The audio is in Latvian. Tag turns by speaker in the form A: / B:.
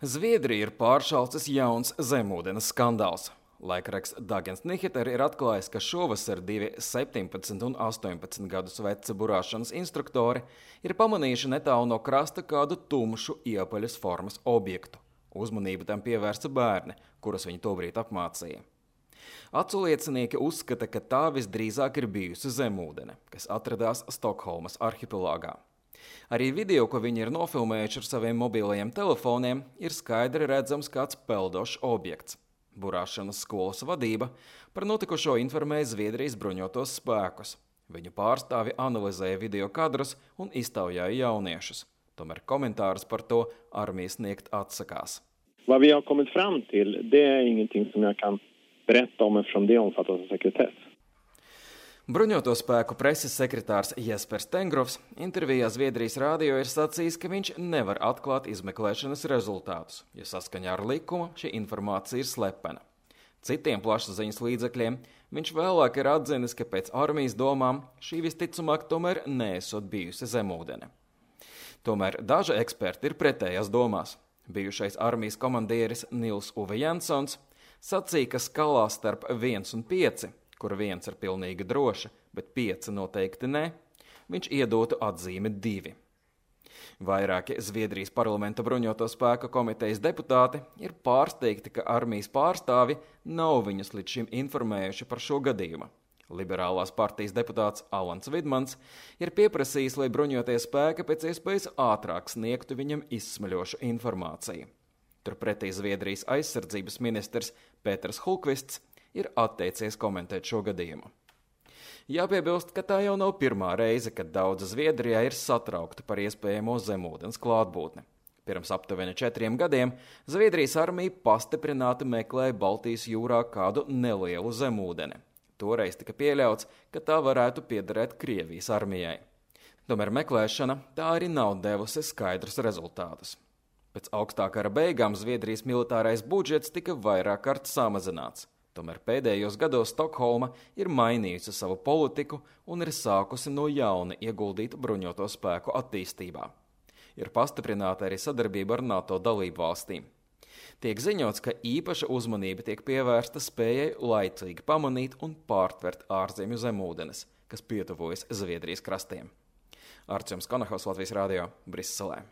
A: Zviedrija ir pāršalcis jauns zemūdens skandāls. Laikraksts Dagens Nyheter ir atklājis, ka šovasar divi 17 un 18 gadus veci burāšanas instruktori ir pamanījuši netālu no krasta kādu tumšu iepaļas formas objektu. Uzmanību tam pievērsa bērni, kurus viņi tobrīd apmācīja. Aculiecinieki uzskata, ka tā visdrīzāk ir bijusi zemūdene, kas atradās Stokholmas arhipelāgā. Arī video, ko viņi ir nofilmējuši ar saviem mobilajiem telefoniem, ir skaidri redzams kāds peldošs objekts. Burāšanas skolas vadība par notikušo informēja Zviedrijas bruņotos spēkus. Viņu pārstāvi analizēja video kadrus un iztaujāja jauniešus. Tomēr komentārus par to armija sniegt atsakās.
B: Vad vi har kommit fram till, det är ingenting som jag kan berätta om eftersom det omfattas av sekretess.
A: Bruņoto spēku preses sekretārs Jespers Tengrovs intervijā Zviedrijas rādio ir sacījis, ka viņš nevar atklāt izmeklēšanas rezultātus, jo saskaņā ar likumu šī informācija ir slepena. Citiem plašsaziņas līdzekļiem viņš vēlāk ir atzinis, ka pēc armijas domām šī visticamāk tomēr neesot bijusi zemūdene. Tomēr daži eksperti ir pretējās domās. Bijušais armijas komandieris Nils Uve Jansons sacīja, ka skalā starp 1 un 5, kur 1 ir pilnīgi droša, bet 5 noteikti nē, viņš iedotu atzīmi 2. Vairāki Zviedrijas parlamenta bruņoto spēku komitejas deputāti ir pārsteigti, ka armijas pārstāvi nav viņus līdz šim informējuši par šo gadījumu. Liberālās partijas deputāts Alans Vidmans ir pieprasījis, lai bruņotie spēki pēc iespējas ātrāk sniegtu viņam izsmeļošu informāciju. Turpretī Zviedrijas aizsardzības ministrs Pēters Hulkvists ir atteicies komentēt šo gadījumu. Jāpiebilst, ka tā jau nav pirmā reize, kad daudzi Zviedrijā ir satraukti par iespējamo zemūdens klātbūtni. Pirms aptuveni 4 gadiem Zviedrijas armija pastiprināti meklēja Baltijas jūrā kādu nelielu zemūdeni. Toreiz tika pieļauts, ka tā varētu piederēt Krievijas armijai. Tomēr meklēšana tā arī nav devusi skaidrus rezultātus. Pēc augstā kara beigām Zviedrijas militārais budžets tika vairāk kārt samazināts. Tomēr pēdējos gados Stokholma ir mainījusi savu politiku un ir sākusi no jauna ieguldīt bruņoto spēku attīstībā. Ir pastiprināta arī sadarbība ar NATO dalību valstīm. Tiek ziņots, ka īpaša uzmanība tiek pievērsta spējai laicīgi pamanīt un pārtvert ārzemju zemūdenes, kas pietuvojas Zviedrijas krastiem. Artjoms Konahaus, Latvijas rādio, Briselē.